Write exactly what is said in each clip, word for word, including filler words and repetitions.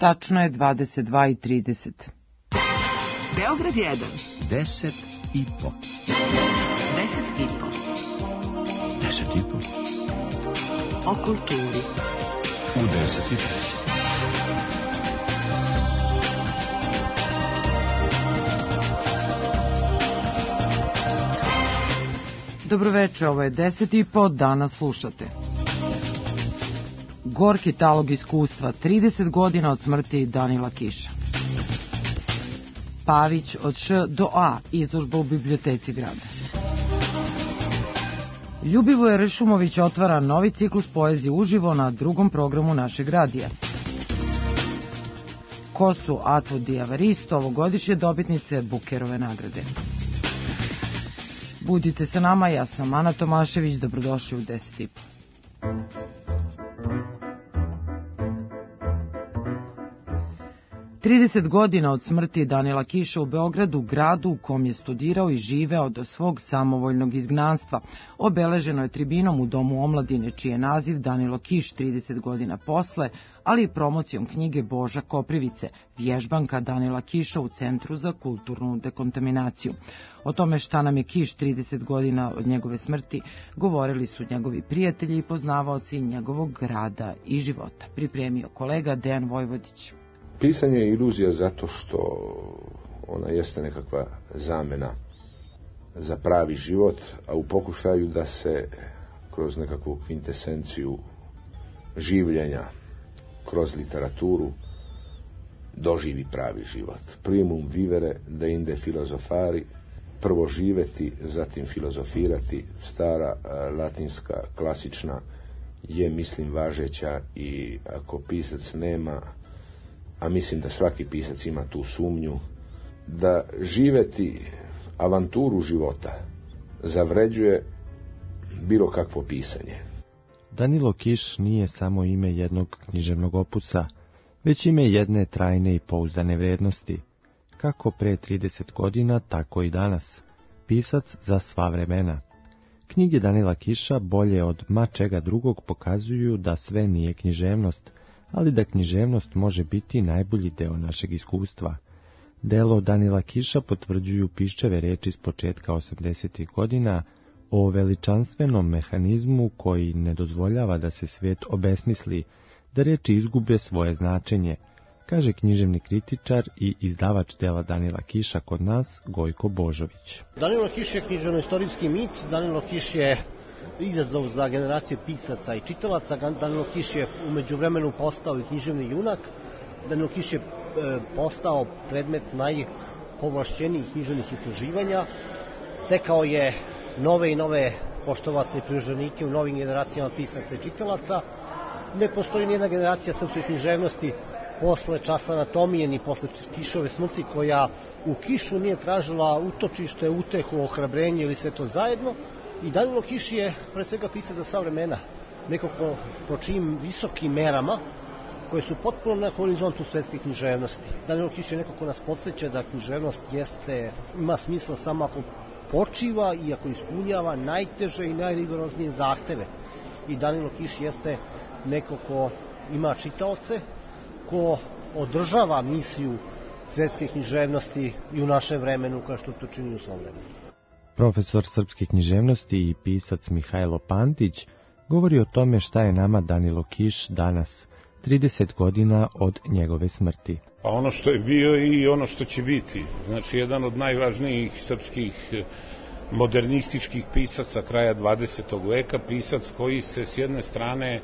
Tačno je dvadeset dva i trideset. Beograd jedan. Deset i po. Deset i po. Deset i po. O kulturi. U deset i po. Dobroveče, ovo je deset i po, danas slušate. Gorki talog iskustva, trideset godina od smrti Danila Kiša. Pavić od Š do A, izložba u biblioteci grada. Ljubivoje Ršumović otvara novi ciklus poezije uživo na drugom programu našeg radija. Ko su Atvo Diavaristo, ovogodišnje dobitnice Bukerove nagrade? Budite sa nama, ja sam Ana Tomašević, dobrodošli u deset i po. trideset godina od smrti Danila Kiša u Beogradu, gradu u kom je studirao i živeo do svog samovoljnog izgnanstva, obeleženo je tribinom u Domu omladine, čiji je naziv Danilo Kiš trideset godina posle, ali i promocijom knjige Boža Koprivice, vježbanka Danila Kiša u Centru za kulturnu dekontaminaciju. O tome šta nam je Kiš trideset godina od njegove smrti govorili su njegovi prijatelji i poznavaoci njegovog rada i života. Pripremio kolega Dejan Vojvodić. Pisanje je iluzija zato što ona jeste nekakva zamena za pravi život, a u pokušaju da se kroz nekakvu kvintesenciju življenja, kroz literaturu, doživi pravi život. Primum vivere deinde filozofari, prvo živeti, zatim filozofirati, stara latinska, klasična je, mislim, važeća i ako pisac nema, a mislim da svaki pisac ima tu sumnju, da živeti avanturu života zavređuje bilo kakvo pisanje. Danilo Kiš nije samo ime jednog književnog opusa, već ime jedne trajne i pouzdane vrednosti. Kako pre trideset godina, tako i danas. Pisac za sva vremena. Knjige Danila Kiša bolje od ma čega drugog pokazuju da sve nije književnost, ali da književnost može biti najbolji deo našeg iskustva. Delo Danila Kiša potvrđuju Piščeve reči s početka osamdesetih godina o veličanstvenom mehanizmu koji ne dozvoljava da se svijet obesmisli, da reči izgube svoje značenje, kaže književni kritičar i izdavač dela Danila Kiša kod nas, Gojko Božović. Danilo Kiš je književno-istorijski mit, Danilo Kiš je izazov za generacije pisaca i čitalaca. Danilo Kiš je u međuvremenu postao i književni junak. Danilo Kiš je e, postao predmet najpovlašćenijih književnih istraživanja. Stekao je nove i nove poštovace i privrženike u novim generacijama pisaca i čitalaca. Ne postoji nijedna generacija srpske književnosti posle Časa anatomije ni posle Kišove smrti koja u Kišu nije tražila utočište, utehu, ohrabrenje ili sve to zajedno. I Danilo Kiš je pre svega pisac za sva vremena, neko ko, po čijim visokim merama, koje su potpuno na horizontu svetske književnosti. Danilo Kiš je neko ko nas podsjeća da književnost jeste, ima smisla samo ako počiva i ako ispunjava najteže i najrigoroznije zahteve. I Danilo Kiš jeste neko ko ima čitaoce, ko održava misiju svetske književnosti i u našem vremenu, kao što to čini u svom vremenu. Profesor srpske književnosti i pisac Mihajlo Pantić govori o tome šta je nama Danilo Kiš danas, trideset godina od njegove smrti. Pa ono što je bio i ono što će biti. Znači, jedan od najvažnijih srpskih modernističkih pisaca kraja dvadesetog veka, pisac koji se s jedne strane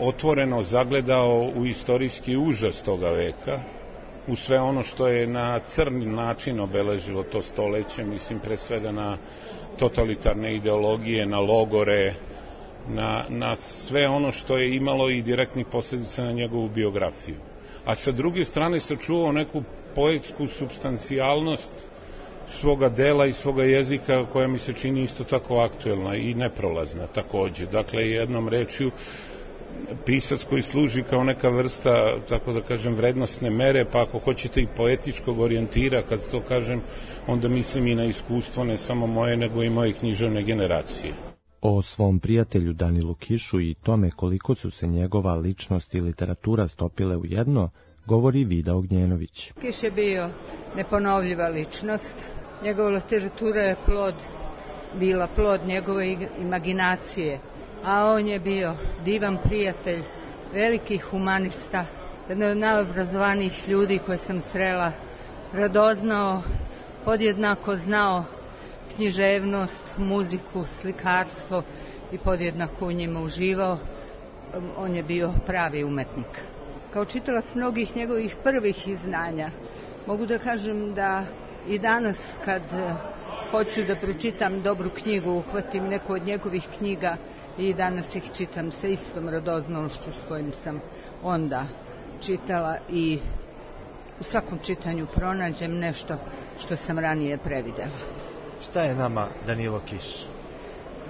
otvoreno zagledao u istorijski užas toga veka, u sve ono što je na crni način obeležilo to stoleće, mislim pre svega na totalitarne ideologije, na logore, na, na sve ono što je imalo i direktnih posljedica na njegovu biografiju. A sa druge strane sačuvao neku poetsku supstancijalnost svoga dela i svoga jezika koja mi se čini isto tako aktuelna i neprolazna takođe. Dakle, jednom rečju, pisac koji služi kao neka vrsta, tako da kažem, vrednostne mere, pa ako hoćete i poetičkog orijentira, kad to kažem, onda mislim i na iskustvo ne samo moje, nego i moje književne generacije. O svom prijatelju Danilu Kišu i tome koliko su se njegova ličnost i literatura stopile u jedno, govori Vida Ognjenović. Kiš je bio neponovljiva ličnost. Njegova literatura je plod, bila plod njegove imaginacije, a on je bio divan prijatelj, veliki humanista, jedan od najobrazovanijih ljudi koje sam srela, radoznao, podjednako znao književnost, muziku, slikarstvo i podjednako u njima uživao. On je bio pravi umetnik. Kao čitalac mnogih njegovih prvih izdanja, mogu da kažem da i danas kad hoću da pročitam dobru knjigu, uhvatim neku od njegovih knjiga i danas ih čitam sa istom radoznalošću s kojim sam onda čitala i u svakom čitanju pronađem nešto što sam ranije previdela. Šta je nama Danilo Kiš?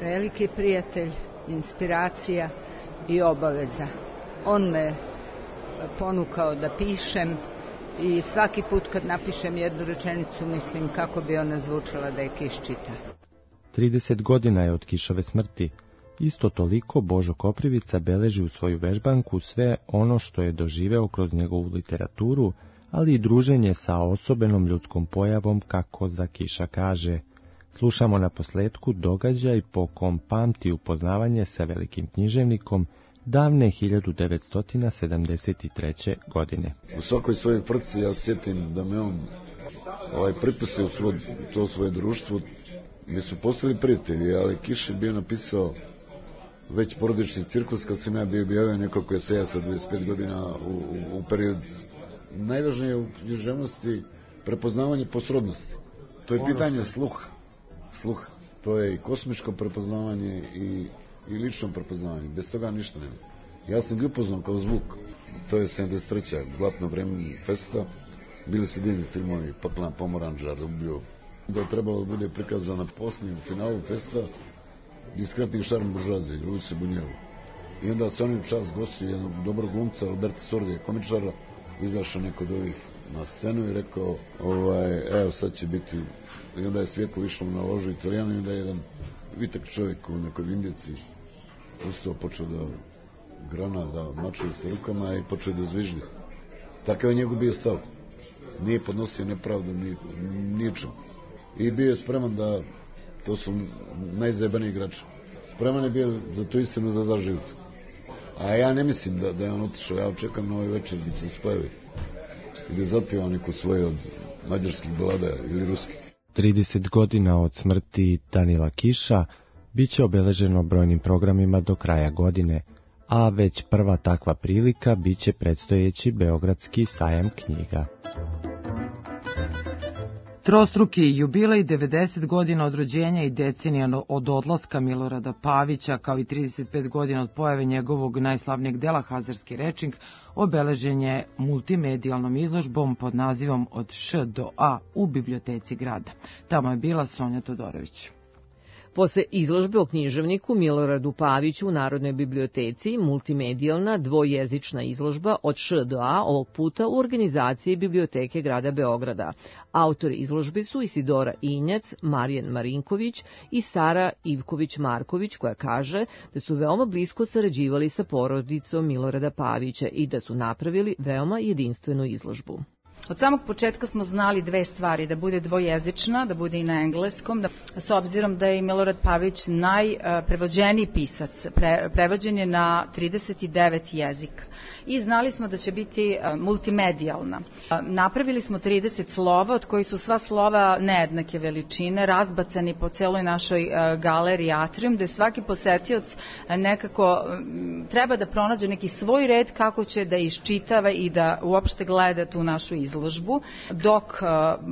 Veliki prijatelj, inspiracija i obaveza. On me ponukao da pišem i svaki put kad napišem jednu rečenicu mislim kako bi ona zvučala da je Kiš čita. trideset godina je od Kišove smrti. Isto toliko Božo Koprivica beleži u svoju vežbanku sve ono što je doživeo kroz njegovu literaturu, ali i druženje sa osobenom ljudskom pojavom, kako za Kiša kaže. Slušamo na posletku događaj po kom pamti upoznavanje sa velikim književnikom davne hiljadu devetsto sedamdeset treće. godine. U svakoj svojoj frci ja sjetim da me on ovaj, pripustio svoj, to svoje društvo. Mi su postali prijatelji, ali Kiš je bio napisao već porodični cirkus kad sam ja bio objavio nekoliko eseja sa dvadeset pet godina u, u, u period. Najvažnije u književnosti prepoznavanje posrodnosti. To je pitanje sluha. Sluha. To je i kosmičko prepoznavanje i, i lično prepoznavanje. Bez toga ništa nema. Ja sam ga upoznao kao zvuk. To je sedamdeset treća zlatno vreme festa. Bili su divni filmovi, Paklana pomoranđa, Rubljo. Da je trebalo da bude prikazano na posljednjem finalu festa Diskretni šarm buržoazije, Luise Bunjevu. I onda su oni u čast gostili jednog dobrog glumca, Alberta Sordija, komičara, izašao neko od ovih na scenu i rekao, ovaj, evo sad će biti, i onda je svjetlo išlo na ložu Italijanu i onda je jedan vitak čovjek u nekoj vindici ustao, počeo da grana, da mačuje sa rukama i počeo da zviždi. Takav je njegov bio stav. Nije podnosio nepravdu ni, ničem. I bio je spreman da, to su najzajebaniji igrači, spreman je bio za tu istinu da da život. A ja ne mislim da, da je on otišao, ja očekam na ovaj večer gdje će se spojavi i da zapjeva neko svoje od mađarskih balada ili ruskih. trideset godina od smrti Danila Kiša biće obeleženo brojnim programima do kraja godine, a već prva takva prilika biće predstojeći Beogradski sajam knjiga. Trostruki jubilej, devedeset godina od rođenja i decenija od odlaska Milorada Pavića, kao i trideset pet godina od pojave njegovog najslavnijeg dela Hazarski rečnik, obeležen je multimedijalnom izložbom pod nazivom Od Š do A u biblioteci grada. Tamo je bila Sonja Todorović. Posle izložbe o književniku Miloradu Paviću u Narodnoj biblioteci, multimedijalna dvojezična izložba Od Š do A ovog puta u organizaciji Biblioteke grada Beograda. Autori izložbe su Isidora Injac, Marijan Marinković i Sara Ivković-Marković, koja kaže da su veoma blisko sarađivali sa porodicom Milorada Pavića i da su napravili veoma jedinstvenu izložbu. Od samog početka smo znali dve stvari, da bude dvojezična, da bude i na engleskom, da, s obzirom da je Milorad Pavić najprevođeniji pisac, pre, prevođen je na trideset devet jezika. I znali smo da će biti multimedijalna. Napravili smo trideset slova, od kojih su sva slova nejednake veličine, razbacani po celoj našoj galeriji Atrium, gde svaki posetioc nekako treba da pronađe neki svoj red kako će da iščitava i da uopšte gleda tu našu izložbu. Dok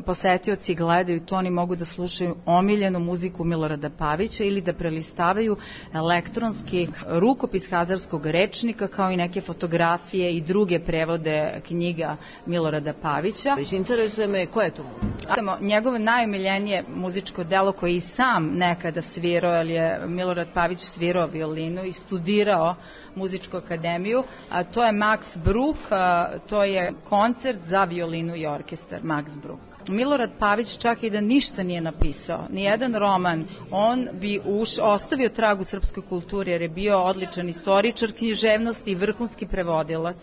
posetioci gledaju to, oni mogu da slušaju omiljenu muziku Milorada Pavića ili da prelistavaju elektronski rukopis Hazarskog rečnika, kao i neke fotografije i druge prevode knjiga Milorada Pavića. Interesuje me, koja je to muzika? Njegovo najomiljenije muzičko delo koje i sam nekada svirao, jer je Milorad Pavić svirao violinu i studirao muzičku akademiju, a to je Max Bruch, a, to je koncert za violinu i orkestar Max Bruch. Milorad Pavić čak i da ništa nije napisao, nijedan roman, on bi uš, ostavio trag u srpskoj kulturi jer je bio odličan istoričar književnosti i vrhunski prevodilac,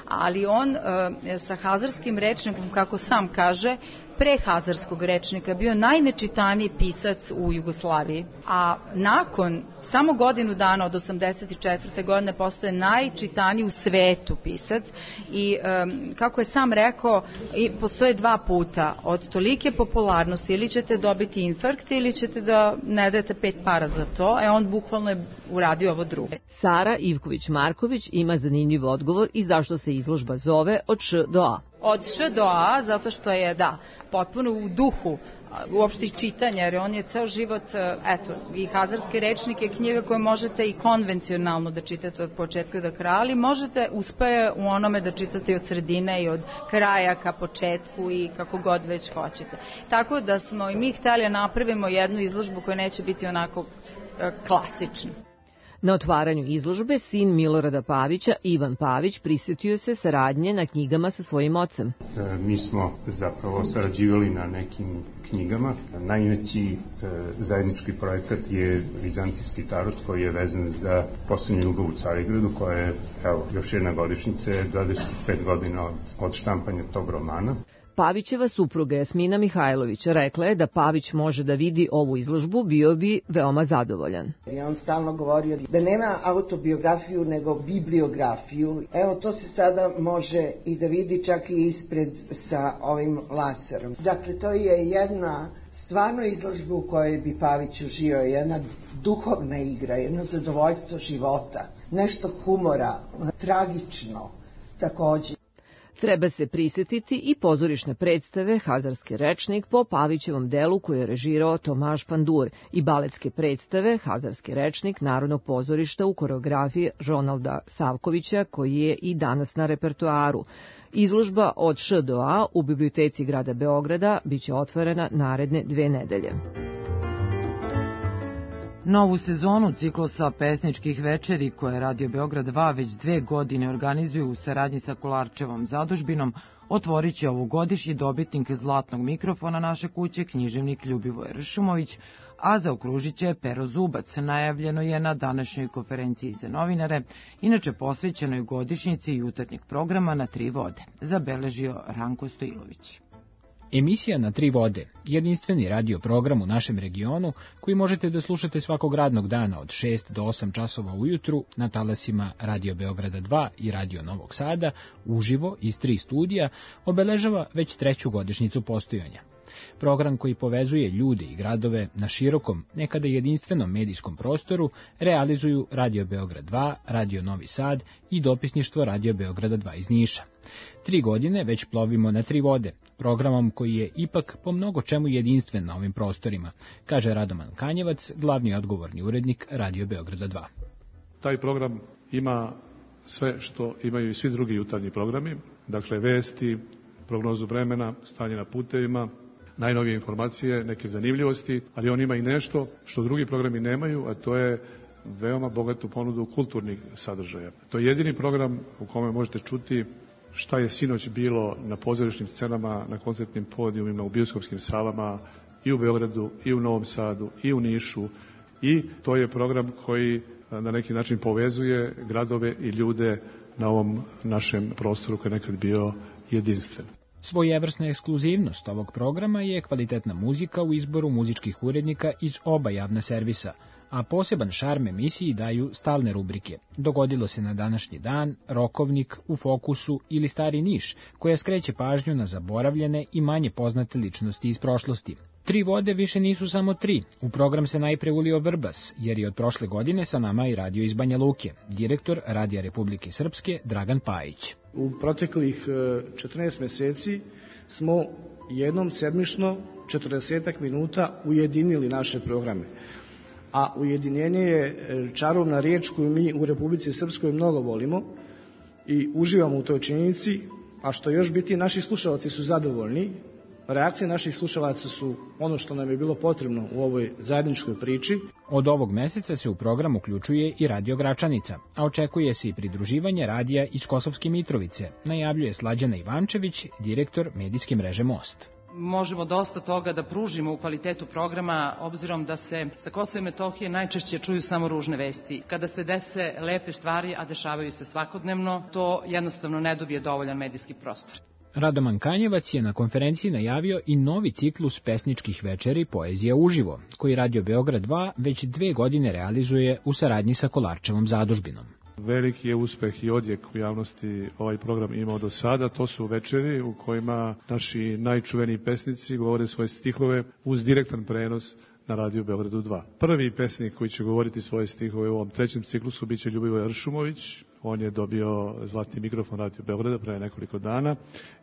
ali on e, sa hazarskim rečnikom, kako sam kaže, pre hazarskog rečnika bio najnečitaniji pisac u Jugoslaviji, a nakon samo godinu dana od osamdeset četvrte godine postoje najčitaniji u svetu pisac i um, kako je sam rekao, i postoje dva puta, od tolike popularnosti ili ćete dobiti infarkt ili ćete da ne dajete pet para za to, e on bukvalno je uradio ovo drugo. Sara Ivković-Marković ima zanimljiv odgovor i zašto se izložba zove Od Š do A. Od Š do A, zato što je, da, potpuno u duhu uopšte čitanja, jer on je ceo život, eto, i hazarski rečnik je knjiga koju možete i konvencionalno da čitate od početka do kraja, ali možete, uspeje u onome da čitate i od sredine i od kraja ka početku i kako god već hoćete. Tako da smo i mi hteli napravimo jednu izložbu koja neće biti onako klasična. Na otvaranju izložbe sin Milorada Pavića, Ivan Pavić, prisjetio se saradnje na knjigama sa svojim ocem. E, mi smo zapravo sarađivali na nekim knjigama. Najveći e, zajednički projekat je Vizantijski tarot koji je vezan za poslednju ljubav u Carigradu, koja je, evo, još jedna godišnjica, dvadeset pet godina od, od štampanja tog romana. Pavićeva supruga Jasmina Mihajlović rekla je da Pavić može da vidi ovu izložbu, bio bi veoma zadovoljan. I on stalno govorio da nema autobiografiju nego bibliografiju. Evo to se sada može i da vidi čak i ispred sa ovim laserom. Dakle, to je jedna stvarno izložba u kojoj bi Pavić uživao, jedna duhovna igra, jedno zadovoljstvo života, nešto humora, tragično takođe. Treba se prisjetiti i pozorišne predstave Hazarski rečnik po Pavićevom delu koje je režirao Tomaš Pandur i baletske predstave Hazarski rečnik Narodnog pozorišta u koreografiji Ronalda Savkovića koji je i danas na repertoaru. Izložba Od Š do A u Biblioteci grada Beograda biće otvorena naredne dve nedelje. Novu sezonu ciklusa pesničkih večeri koje Radio Beograd dva već dve godine organizuju u saradnji sa Kolarčevom zadužbinom otvorit će ovogodišnji dobitnik zlatnog mikrofona naše kuće, književnik Ljubivoje Ršumović, a zaokružit će Pero Zubac. Najavljeno je na današnjoj konferenciji za novinare, inače posvećenoj godišnjici jutarnjeg programa Na tri vode, zabeležio Ranko Stojilović. Emisija Na tri vode, jedinstveni radio program u našem regionu koji možete da slušate svakog radnog dana od šest do osam časova ujutru na talasima Radio Beograda dva i Radio Novog Sada, uživo iz tri studija, obeležava već treću godišnjicu postojanja. Program koji povezuje ljude i gradove na širokom, nekada jedinstvenom medijskom prostoru realizuju Radio Beograd dva, Radio Novi Sad i dopisništvo Radio Beograda dva iz Niša. Tri godine već plovimo na tri vode, programom koji je ipak po mnogo čemu jedinstven na ovim prostorima, kaže Radoman Kanjevac, glavni odgovorni urednik Radio Beograda dva. Taj program ima sve što imaju i svi drugi jutarnji programi, dakle vesti, prognozu vremena, stanje na putevima, najnovije informacije, neke zanimljivosti, ali on ima i nešto što drugi programi nemaju, a to je veoma bogatu ponudu kulturnih sadržaja. To je jedini program u kome možete čuti šta je sinoć bilo na pozorišnim scenama, na koncertnim podijumima, u bioskopskim salama, i u Beogradu, i u Novom Sadu, i u Nišu, i to je program koji na neki način povezuje gradove i ljude na ovom našem prostoru koji je nekad bio jedinstven. Svojevrsna ekskluzivnost ovog programa je kvalitetna muzika u izboru muzičkih urednika iz oba javna servisa, a poseban šarm emisiji daju stalne rubrike. Dogodilo se na današnji dan, Rokovnik, U fokusu ili Stari Niš, koja skreće pažnju na zaboravljene i manje poznate ličnosti iz prošlosti. Tri vode više nisu samo tri. U program se najpre ulio Vrbas, jer je od prošle godine sa nama i radio iz Banja Luke, direktor Radija Republike Srpske Dragan Pajić. U proteklih četrnaest meseci smo jednom sedmično četrdesetak minuta ujedinili naše programe. A ujedinjenje je čarovna riječ koju mi u Republici Srpskoj mnogo volimo i uživamo u toj činjenici, a što još biti, naši slušalci su zadovoljni. Reakcije naših slušalaca su ono što nam je bilo potrebno u ovoj zajedničkoj priči. Od ovog meseca se u program uključuje i Radio Gračanica, a očekuje se i pridruživanje radija iz Kosovske Mitrovice, najavljuje Slađana Ivančević, direktor medijske mreže Most. Možemo dosta toga da pružimo u kvalitetu programa, obzirom da se sa Kosova i Metohije najčešće čuju samo ružne vesti. Kada se dese lepe stvari, a dešavaju se svakodnevno, to jednostavno ne dobije dovoljan medijski prostor. Radoman Kanjevac je na konferenciji najavio i novi ciklus pesničkih večeri Poezija uživo, koji Radio Beograd dva već dve godine realizuje u saradnji sa Kolarčevom zadužbinom. Veliki je uspeh i odjek u javnosti ovaj program imao do sada. To su večeri u kojima naši najčuveniji pesnici govore svoje stihove uz direktan prenos na Radio Beogradu dva. Prvi pesnik koji će govoriti svoje stihove u ovom trećem ciklusu biće Ljubivoje Ršumović. On je dobio zlatni mikrofon Radio Beograda pre nekoliko dana.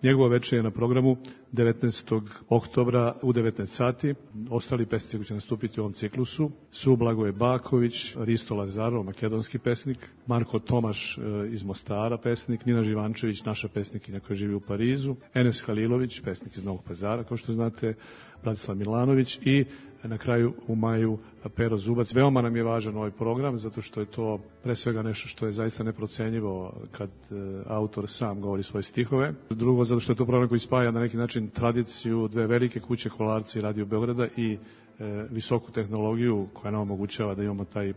Njegova večer je na programu devetnaestog oktobra u devetnaest sati. Ostali pesnici koji će nastupiti u ovom ciklusu su Blagoje Baković, Risto Lazarov, makedonski pesnik, Marko Tomaš iz Mostara, pesnik, Nina Živančević, naša pesnikinja koja živi u Parizu, Enes Halilović, pesnik iz Novog Pazara, kao što znate, Bratislav Milanović i na kraju u maju Pero Zubac. Veoma nam je važan ovaj program, zato što je to pre svega nešto što je zaista neprocenjivo kad e, autor sam govori svoje stihove. Drugo, zato što je to program koji spaja na neki način tradiciju dve velike kuće, Kolarca i Radio Beograda, i e, visoku tehnologiju koja nam omogućava da imamo taj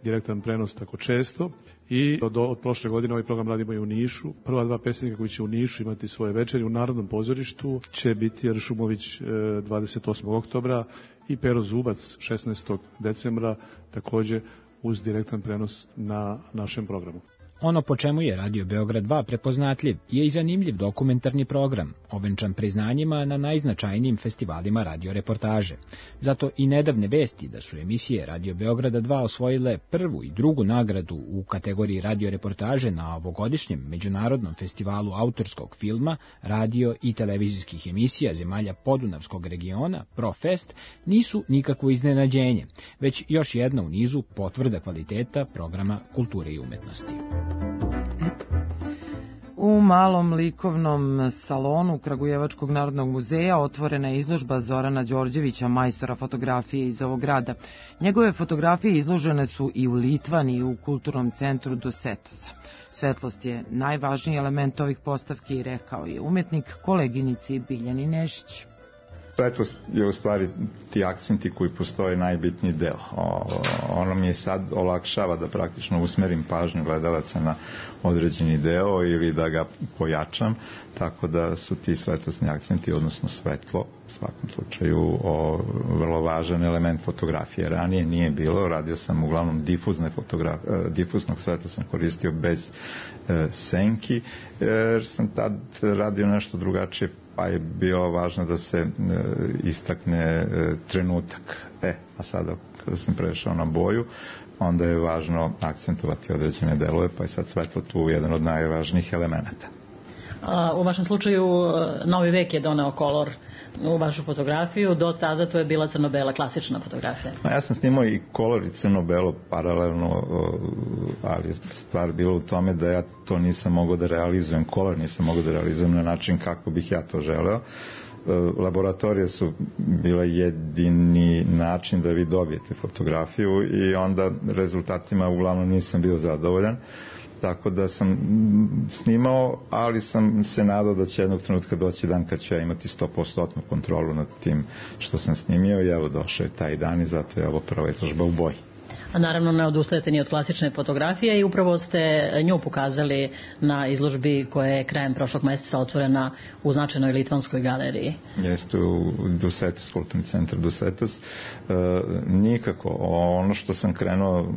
direktan prenos tako često. I od, od prošle godine ovaj program radimo i u Nišu. Prva dva pesnika koji će u Nišu imati svoje večeri u Narodnom pozorištu će biti Ršumović e, dvadeset osmog oktobra i Pero Zubac šesnaestog decembra, takođe uz direktan prenos na našem programu. Ono po čemu je Radio Beograd dva prepoznatljiv je i zanimljiv dokumentarni program, ovenčan priznanjima na najznačajnijim festivalima radioreportaže. Zato i nedavne vesti da su emisije Radio Beograda dva osvojile prvu i drugu nagradu u kategoriji radioreportaže na ovogodišnjem Međunarodnom festivalu autorskog filma, radio i televizijskih emisija zemalja Podunavskog regiona, ProFest, nisu nikakvo iznenađenje, već još jedna u nizu potvrda kvaliteta programa kulture i umetnosti. U malom likovnom salonu Kragujevačkog narodnog muzeja otvorena je izložba Zorana Đorđevića, majstora fotografije iz ovog grada. Njegove fotografije izložene su i u Litvani i u kulturnom centru Dosetosa. Svetlost je najvažniji element ovih postavki, rekao je umetnik koleginici Biljani Nešić. Svetlost je u stvari ti akcenti koji postoje najbitniji deo. O, ono mi je sad olakšava da praktično usmerim pažnju gledalaca na određeni deo ili da ga pojačam, tako da su ti svetlosni akcenti, odnosno svetlo, u svakom slučaju o, vrlo važan element fotografije. Ranije nije bilo, radio sam uglavnom difuzne fotografije, difuznog svetla sam koristio bez e, senki, jer sam tad radio nešto drugačije, pa je bilo važno da se e, istakne e, trenutak. E, a sada kada sam prešao na boju, onda je važno akcentovati određene delove, pa je sad svetlo tu jedan od najvažnijih elemenata. U vašem slučaju novi vek je doneo kolor u vašu fotografiju, do tada to je bila crno-bela klasična fotografija. No, ja sam snimao i kolor i crno-belo paralelno, ali je stvar bila u tome da ja to nisam mogao da realizujem, kolor nisam mogao da realizujem na način kako bih ja to želeo. Laboratorije su bila jedini način da vi dobijete fotografiju i onda rezultatima uglavnom nisam bio zadovoljan. Tako da sam snimao, ali sam se nadao da će jednog trenutka doći dan kad ću ja imati sto posto kontrolu nad tim što sam snimio i evo došao je taj dan i zato je ovo prva izložba u boji. A naravno ne odustajete ni od klasične fotografije i upravo ste nju pokazali na izložbi koja je krajem prošlog meseca otvorena u značajnoj litvanskoj galeriji. Jeste u Dusetos, kulturni centar Dusetos. E, nikako, ono što sam krenuo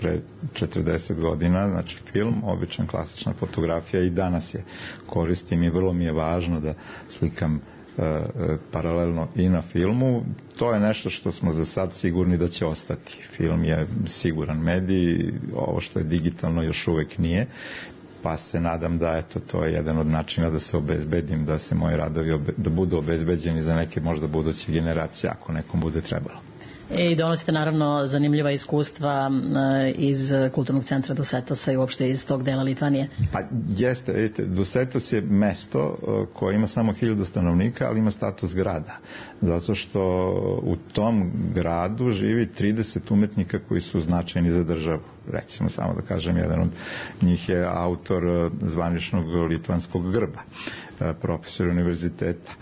pre četrdeset godina, znači film, običan klasična fotografija i danas je koristim i vrlo mi je važno da slikam paralelno i na filmu. To je nešto što smo za sad sigurni da će ostati. Film je siguran medij, ovo što je digitalno još uvek nije, pa se nadam da eto, to je jedan od načina da se obezbedim, da se moji radovi obe, da budu obezbeđeni za neke možda buduće generacije, ako nekom bude trebalo. i donosite naravno zanimljiva iskustva iz Kulturnog centra Dusetosa i uopšte iz tog dela Litvanije. Pa jeste, vidite, Dusetos je mesto koje ima samo hiljadu stanovnika, ali ima status grada. Zato što u tom gradu živi trideset umetnika koji su značajni za državu. Recimo, samo da kažem, jedan od njih je autor zvaničnog litvanskog grba, profesor univerziteta.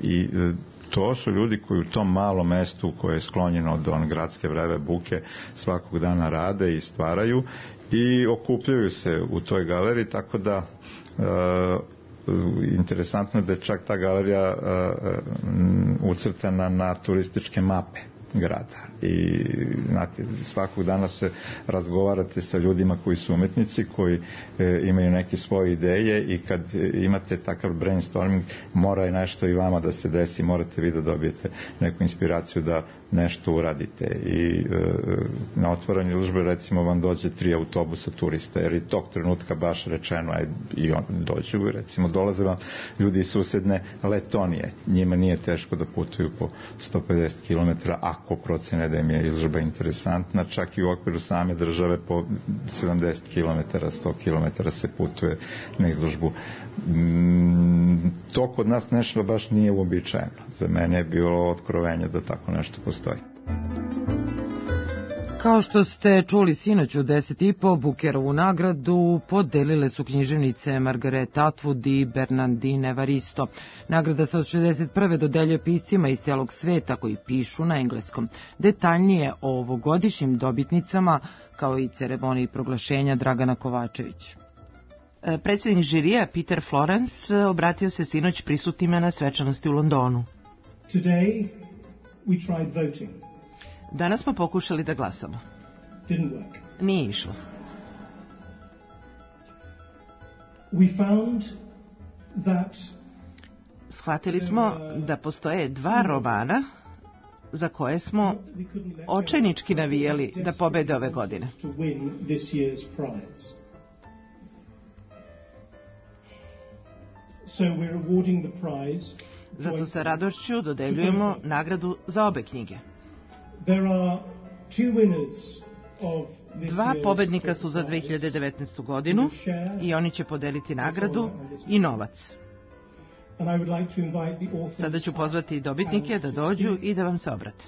I to su ljudi koji u tom malom mestu koje je sklonjeno od on gradske vreve buke svakog dana rade i stvaraju i okupljaju se u toj galeriji, tako da e, interesantno je da je čak ta galerija e, ucrtana na turističke mape grada i znate, svakog dana se razgovarate sa ljudima koji su umetnici, koji e, imaju neke svoje ideje i kad imate takav brainstorming mora je nešto i vama da se desi, morate vi da dobijete neku inspiraciju da nešto uradite i e, na otvaranju izložbe recimo vam dođe tri autobusa turista jer i tog trenutka baš rečeno aj, i on dođu, recimo dolaze vam ljudi iz susedne Letonije, njima nije teško da putuju po sto pedeset kilometara ako procene da im je izložba interesantna, čak i u okviru same države po sedamdeset kilometara, sto kilometara se putuje na izložbu. Mm, to kod nas nešto baš nije uobičajeno. Za mene je bilo otkrovenje da tako nešto postoji. Kao što ste čuli sinoć u deset i po, Bukerovu nagradu podelile su književnice Margaret Atwood i Bernardine Evaristo. Nagrada se od šezdeset prve dodeljuje piscima iz celog sveta koji pišu na engleskom. Detaljnije o ovogodišnjim dobitnicama, kao i ceremoniji proglašenja, Dragana Kovačević. Predsjednik žirija Peter Florence obratio se sinoć prisutnima na svečanosti u Londonu. Today we tried voting. Danas smo pokušali da glasamo. Didn't work. Nije išlo. We found that shvatili smo da postoje dva romana za koje smo očajnički navijali da pobede ove godine. So we're awarding the prize. Zato sa radošću dodeljujemo nagradu za obe knjige. There are two winners of this Dva pobednika su za dve hiljade devetnaestu godinu i oni će podeliti nagradu i novac. And I would like to invite the authors. Sada ću pozvati dobitnike da dođu i da vam se obrate.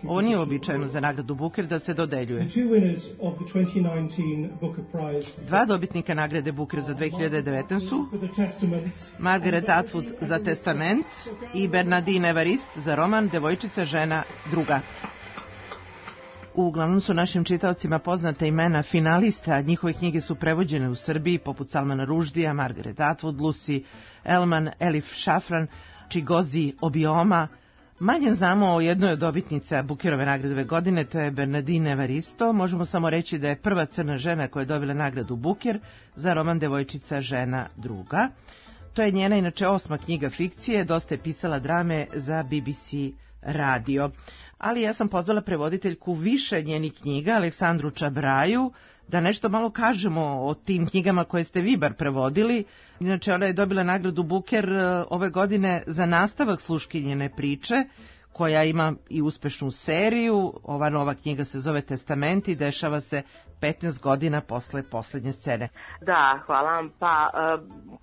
Ovo nije uobičajeno za nagradu Booker da se dodeljuje. Dva dobitnika nagrade Booker za dve hiljade devetnaestu su Margaret Atwood za Testament i Bernardine Evarist za roman Devojčica, žena, druga. Uglavnom su našim čitaocima poznata imena finalista, njihove knjige su prevođene u Srbiji poput Salmana Ruždija, Margaret Atwood, Lucy Elman, Elif Šafran, Čigozi Obioma. Manje znamo o jednoj od dobitnica Bookerove nagrade ove godine, to je Bernardine Evaristo. Možemo samo reći da je prva crna žena koja je dobila nagradu Booker za roman Devojčica, žena, druga. To je njena inače osma knjiga fikcije, dosta je pisala drame za B B C radio. Ali ja sam pozvala prevoditeljku više njenih knjiga, Aleksandru Čabraju, da nešto malo kažemo o tim knjigama koje ste vi bar prevodili. Inače, ona je dobila nagradu Booker ove godine za nastavak Sluškinjine priče, koja ima i uspešnu seriju. Ova nova knjiga se zove Testament i dešava se petnaest godina posle poslednje scene. Da, hvala vam. Pa,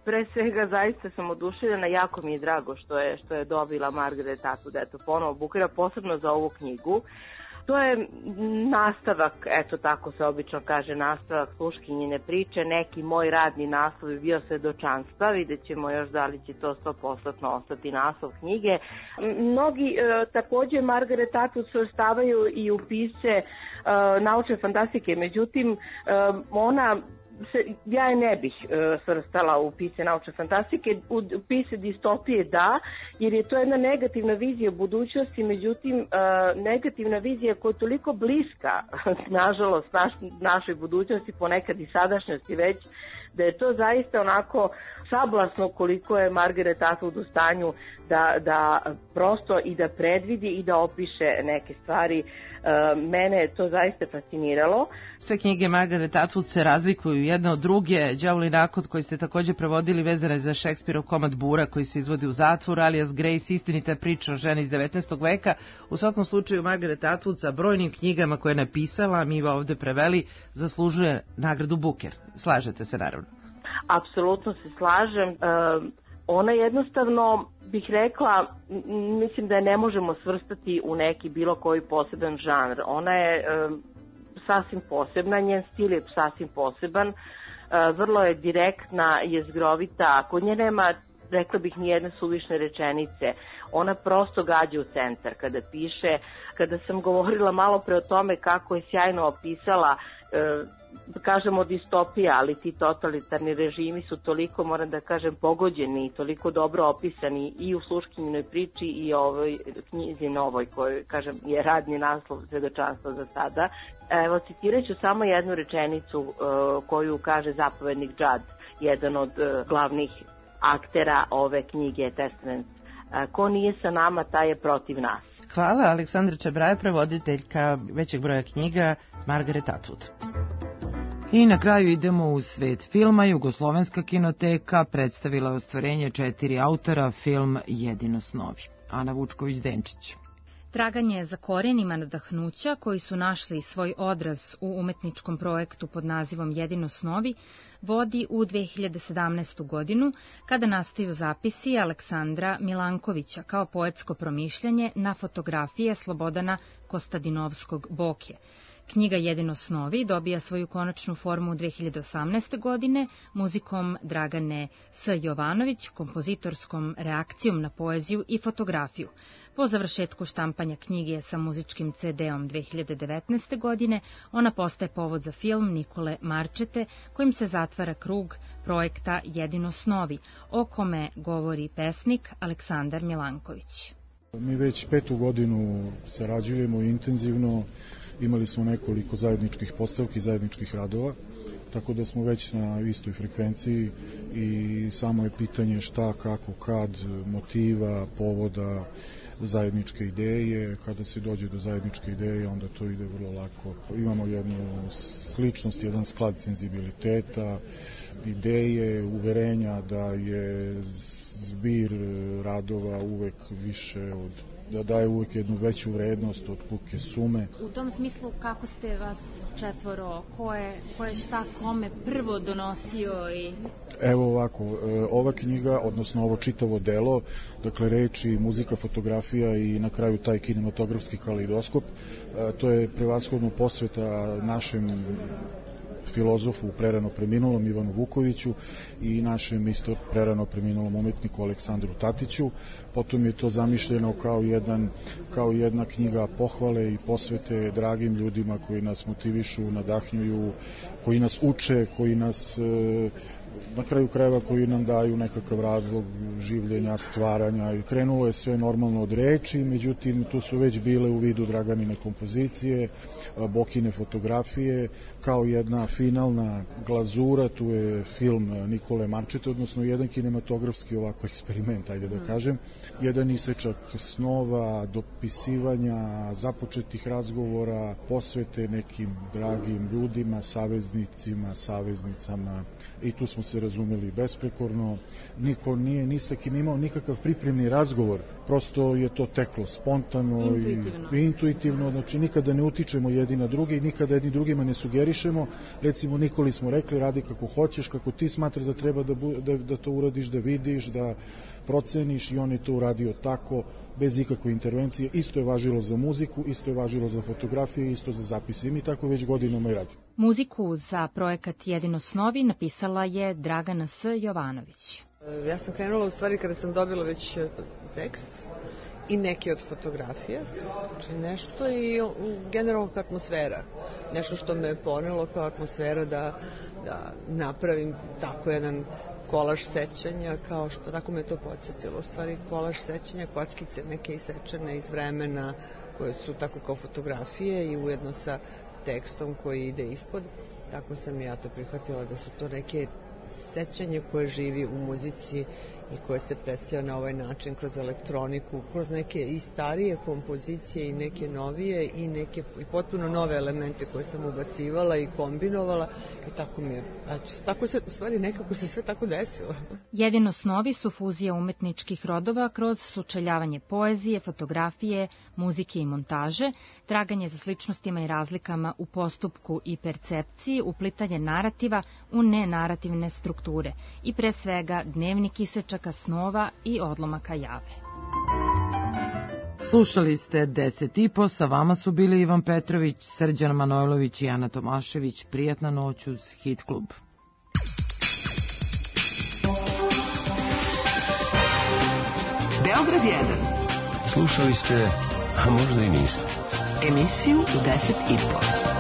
pre svega zaista sam oduševljena, jako mi je drago što je, što je dobila Margaret Atwood, eto, ponovo Bookera, posebno za ovu knjigu. To je nastavak, eto tako se obično kaže, nastavak Sluškinjine priče, neki moj radni naslov je bio Svedočanstva, vidjet ćemo još da li će to sto posto ostati naslov knjige. Mnogi e, takođe Margaret Atwood se ostavaju i u pisce e, naučne fantastike, međutim e, ona Se, ja je ne bih e, svrstala u pisce naučne fantastike, u, u pisce distopije da, jer je to jedna negativna vizija budućnosti, međutim e, negativna vizija koja je toliko bliska, nažalost, naš, našoj budućnosti, ponekad i sadašnjosti već, da je to zaista onako sablasno koliko je Margaret Atwood u stanju da, da prosto i da predvidi i da opiše neke stvari. Mene je to zaista fasciniralo. Sve knjige Margaret Atwood se razlikuju jedne od druge. Đavolji nakot koji ste također prevodili vezana je za Šekspirov komad Bura koji se izvodi u zatvoru, alias Grace, istinita priča o ženi iz devetnaestog veka. U svakom slučaju Margaret Atwood sa brojnim knjigama koje je napisala, mi ga ovde preveli, zaslužuje nagradu Booker. Slažete se naravno? Apsolutno se slažem. Ona jednostavno, bih rekla, mislim da je ne možemo svrstati u neki bilo koji poseban žanr. Ona je sasvim posebna, njen stil je sasvim poseban, vrlo je direktna, jezgrovita, kod nje nema, rekla bih, ni jedne suvišne rečenice. Ona prosto gađa u centar kada piše. Kada sam govorila malo pre o tome kako je sjajno opisala, da kažemo distopija, ali ti totalitarni režimi su toliko, moram da kažem, pogođeni i toliko dobro opisani i u Sluškinjinoj priči i ovoj knjizi novoj, koju, kažem, je radni naslov Svedočanstvo za sada. Evo, citirat ću samo jednu rečenicu uh, koju kaže zapovednik Judd, jedan od uh, glavnih aktera ove knjige Testament. Uh, ko nije sa nama, taj je protiv nas. Hvala, Aleksandra Čabraja, prevoditeljka većeg broja knjiga Margaret Atwood. I na kraju idemo u svet filma. Jugoslovenska kinoteka predstavila je ostvarenje četiri autora, film Jedino snovi. Ana Vučković-Denčić. Traganje za korenima nadahnuća koji su našli svoj odraz u umetničkom projektu pod nazivom Jedino snovi vodi u dve hiljade sedamnaestu. godinu kada nastaju zapisi Aleksandra Milankovića kao poetsko promišljanje na fotografije Slobodana Kostadinovskog Boke. Knjiga Jedino snovi dobija svoju konačnu formu u dve hiljade osamnaeste. godine muzikom Dragane S. Jovanović, kompozitorskom reakcijom na poeziju i fotografiju. Po završetku štampanja knjige sa muzičkim ce de-om dve hiljade devetnaeste. godine, ona postaje povod za film Nikole Marčete, kojim se zatvara krug projekta Jedino snovi, o kome govori pesnik Aleksandar Milanković. Mi već petu godinu sarađujemo intenzivno, imali smo nekoliko zajedničkih postavki, zajedničkih radova, tako da smo već na istoj frekvenciji i samo je pitanje šta, kako, kad, motiva, povoda, zajedničke ideje. Kada se dođe do zajedničke ideje, onda to ide vrlo lako. Imamo jednu sličnost, jedan sklad senzibiliteta, ideje, uverenja da je zbir radova uvek više od, da daje uvek jednu veću vrednost od puke sume. U tom smislu, kako ste vas četvoro, ko je, ko je šta kome prvo donosio i... Evo ovako, ova knjiga, odnosno ovo čitavo delo, dakle reči, muzika, fotografija i na kraju taj kinematografski kaleidoskop, to je prevashodno posveta našem filozofu prerano preminulom Ivanu Vukoviću i našem isto prerano preminulom umetniku Aleksandru Tatiću. Potom je to zamišljeno kao, jedan, kao jedna knjiga pohvale i posvete dragim ljudima koji nas motivišu, nadahnjuju, koji nas uče, koji nas na kraju krajeva koji nam daju nekakav razlog življenja, stvaranja i krenulo je sve normalno od reči, međutim tu su već bile u vidu Draganine kompozicije, Bokine fotografije, kao jedna finalna glazura, tu je film Nikole Marčete, odnosno jedan kinematografski ovako eksperiment, ajde da kažem, jedan isečak snova, dopisivanja, započetih razgovora, posvete nekim dragim ljudima, saveznicima, saveznicama i tu smo se razumeli besprekorno, niko nije ni sa kim imao nikakav pripremni razgovor, prosto je to teklo spontano intuitivno. i intuitivno, znači nikada ne utičemo jedni na druge i nikada jedni drugima ne sugerišemo, recimo Nikoli smo rekli radi kako hoćeš, kako ti smatraš da treba da, da, da to uradiš, da vidiš, da proceniš i on je to uradio tako, bez ikakve intervencije, isto je važilo za muziku, isto je važilo za fotografije, isto za zapise i mi tako već godinama i radimo. Muziku za projekat Jedino snovi napisala je Dragana S. Jovanović. Ja sam krenula u stvari kada sam dobila već tekst i neke od fotografija, znači nešto i generalno kao atmosfera, nešto što me ponelo kao atmosfera da, da napravim tako jedan kolaž sećanja, kao što tako me to podsjetilo, u stvari kolaž sećanja, kockice neke isečene iz vremena koje su tako kao fotografije i ujedno sa tekstom koji ide ispod, tako sam ja to prihvatila da su to neke sećanje koje živi u muzici i koje se predstavlja na ovaj način kroz elektroniku, kroz neke i starije kompozicije i neke novije i neke i potpuno nove elemente koje sam ubacivala i kombinovala i tako mi je, eto, tako se, u stvari nekako se sve tako desilo. Jedino snovi su fuzija umetničkih rodova kroz sučeljavanje poezije, fotografije, muzike i montaže, traganje za sličnostima i razlikama u postupku i percepciji, uplitanje narativa u nenarativne strukture i pre svega dnevnik isečaka snova i odlomaka jave. Slušali ste deset i po, sa vama su bili Ivan Petrović, Srđan Manojlović i Ana Tomašević. Prijatna noć uz Hit klub. Beograd jedan. Slušali ste, a možda i niste. Emisiju u deset i po.